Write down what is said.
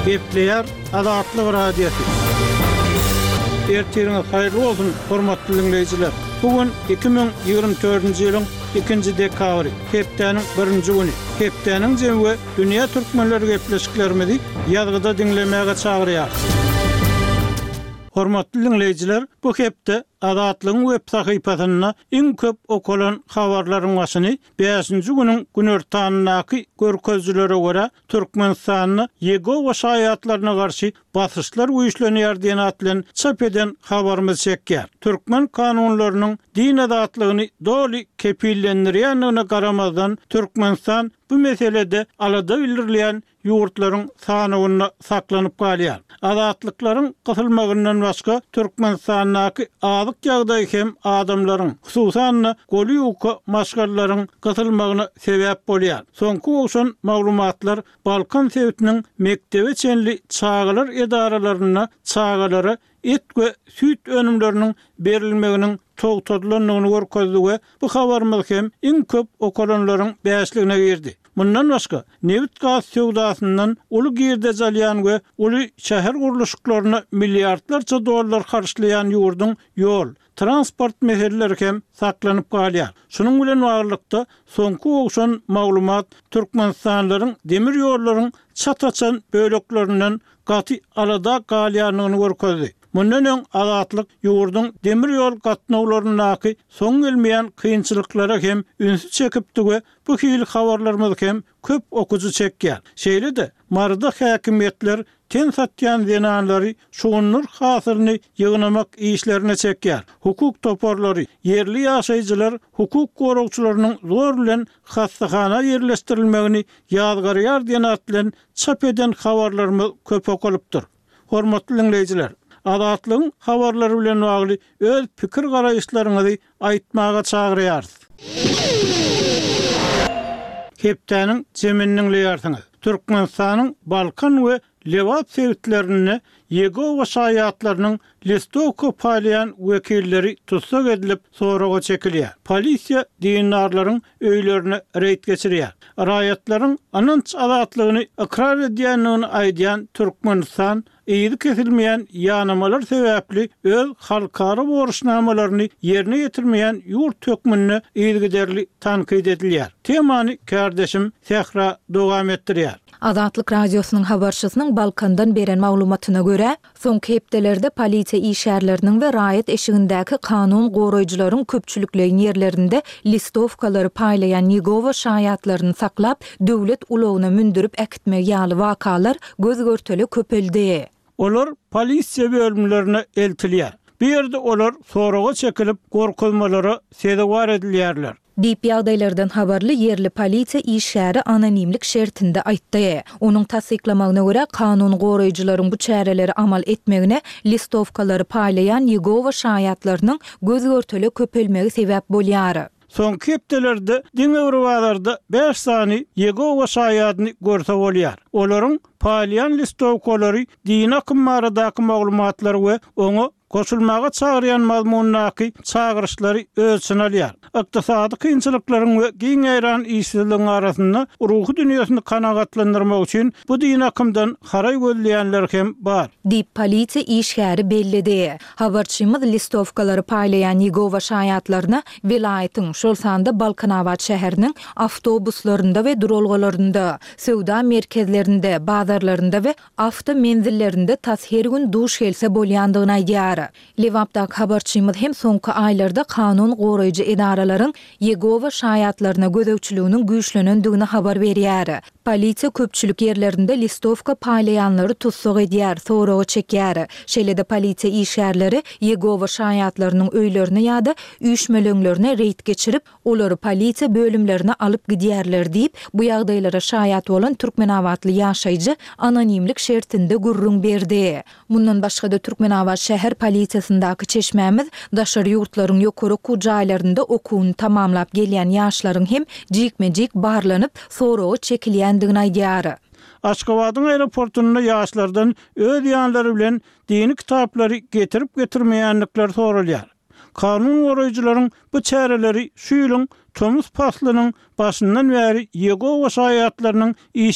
Gepleýär Azatlyk Radiosy. Ertiriňiz haýyrly bolsun, hormatly diňleýjiler! Bu gün 2024-nji ýylyň ikinji dekabry, hepdäniň birinji güni. Hepdäniň jemi we dünýä türkmenleri gepleşiklerimizi ýazgyda diňlemäge çagyrýarys. Hormatly diňleýjiler, bu hepde Azatlygyň web sahypasynda iň köp okalan habarlaryň başyny bäşinji günüň günortanyndaky görkezijilere görä, Türkmenistanda Ýegowa şaýatlaryna garşy basyşlar güýçlenýär diýen at bilen çap eden habarymyz çekýär. Türkmen kanunlarynyň din azatlygyny doly kepillendirýändigine garamazdan, Türkmenistan bu meselede alada bildirilýän ýurtlaryň sanawynda saklanyp galýar. Azatlyklaryň gysylmagyndan başga, Türkmenistandaky azyk ýagdaýy hem adamlaryň, hususan-da, goly ýuka maşgalalaryň gysylmagyna sebäp bolýar. Soňky gowşan maglumatlar Balkan sebitiniň mekdebe çenli çagalar edaralarynda çagalara et we süýt önümleriniň berilmeginiň togtadylandygyny görkezdi we bu habarymyz hem iň köp okalanlaryň bäşligine girdi. Mundan başga, nebit-gaz söwdasyndan uly girdeji alýan we uly şäher gurluşyklaryna milliardlarça dollar harçlaýan ýurduň ýol, transport meseleleri hem saklanyp galýar. Şunuň bilen baglylykda, soňky gowşan maglumat türkmenistanlylaryň demir ýollaryň çat açan böleklerinden gaty alada galýandygyny görkezdi. Mundan öň Azatlyk ýurduň demir ýol gatnawlaryndaky soň gelmeýän kynçylyklara hem ünsi çekipdi we bu hili habarlarymyz hem köp okyjy çekýär. Şeýle-de, Maryda häkimiýetler ten satýan zenanlary şugundyr hasylyny ýygnamak işlerine çekýär. Hukuk toparlary, ýerli ýaşaýjylar hukuk goragçylarynyň zor bilen hassahana ýerleşdirilmegini ýazgarýar diýen at bilen çap eden habarlarymyz köp okalypdyr. Hormatly diňleýjiler, Azatlygyň habarlary bilen bagly öz pikir-garaýyşlaryňyzy aýtmaga çagyrýarys. Hepdäniň jemini diňleýärsiňiz. Türkmenistanyň Balkan we Lebap sebitlerinde Ýegowa şaýatlarynyň listowka paýlaýan wekilleri tussag edilip, soraga çekilýär. Polisiýa dindarlaryň öýlerine reýd geçirýär. Raýatlaryň ynanç azatlygyny ykrar edýändigini aýdýan Türkmenistan yzy kesilmeýän ýanamalar sebäpli öz halkara borçnamalaryny ýerine ýetirmeýän ýurt hökmünde yzygiderli tankyt edilýär. Temany kärdeşim Sähra dowam etdirýär. Azatlyk Radiosynyň habarçysynyň Balkandan beren maglumatyna görä, soňky hepdelerde polisiýa işgärleriniň we raýat eşigindäki kanun goraýjylaryň köpçülikleýin ýerlerinde listowkalary paýlaýan Ýegowa şaýatlaryny saklap, döwlet ulagyna mündürip äkitmegi ýaly wakalar göz-görtele köpeldi. Olar polisiýa bölümlerine eltilýär. Bu ýerde olar soraga çekilip, gorkuzmalara sezewar edilýärler. Diýip, ýagdaýlardan habarly ýerli polisiýa işgäri anonimlik şertinde aýtdy. Onuň tassyklamagyna görä, kanun goraýjylaryň bu çäreleri amal etmegine listowkalary paýlaýan Ýegowa şaýatlarynyň göz-görtele köpelmegi sebäp bolýar. Soňky hepdelerde diňe bir bazarda bäş sany Ýegowa şaýadyny görse bolýar. Olaryň paýlaýan listowkalary dini akym baradaky maglumatlary we oňa goşulmaga çagyrýan mazmundaky çagyryşlary öz içine alýar. Ykdysady kynçylyklaryň we giň ýaýran işsizligiň arasynda ruhy dünýesini kanagatlandyrmak üçin bu dini akymdan haraý gözleýänler hem bar. Diýip, polisiýa işgäri belledi. Habarçymyz listowkalary paýlaýan Ýegowa şaýatlaryna welaýatyň, şol sanda Balkanabat şäheriniň awtobuslarynda we duralgalarynda, söwda merkezlerinde, bazarlarynda we awto menzillerinde tas her gün duş gelse bolýandygyny aýdýar. Lebapdaky habarçymyz hem soňky aýlarda kanun goraýjy edaralaryň Ýegowa şaýatlaryna gözegçiliginiň güýçlenendigini habar berýär. Polisiýa köpçülik ýerlerinde listowka paýlaýanlary tussag edýär, soraga çekýär. Şeýle-de polisiýa işgärleri Ýegowa şaýatlarynyň öýlerine ýa-da üýşmeleňlerine reýd geçirip, olary polisiýa bölümlerine alyp gidýärler diýip, bu ýagdaýlara şaýat bolan türkmenabatly ýaşaýjy anonimlik şertinde gürrüň berdi. Mundan başga-da Türkmenabat şäher polisiýasyndaky çeşmämiz daşary ýurtlaryň ýokary okuw jaýlarynda okuwyny tamamlap gelýän ýaşlaryň hem jikme-jik barlanyp, soraga çekilýändigini aýdýar. Aşgabadyň aeroportunda ýaşlardan öz ýanlary bilen dini kitaplary getirip-getirmeýändikleri soralýar. Kanun goraýjylaryň bu çäreleri şu ýylyň tomus paslynyň başyndan bäri Ýegowa şaýatlarynyň.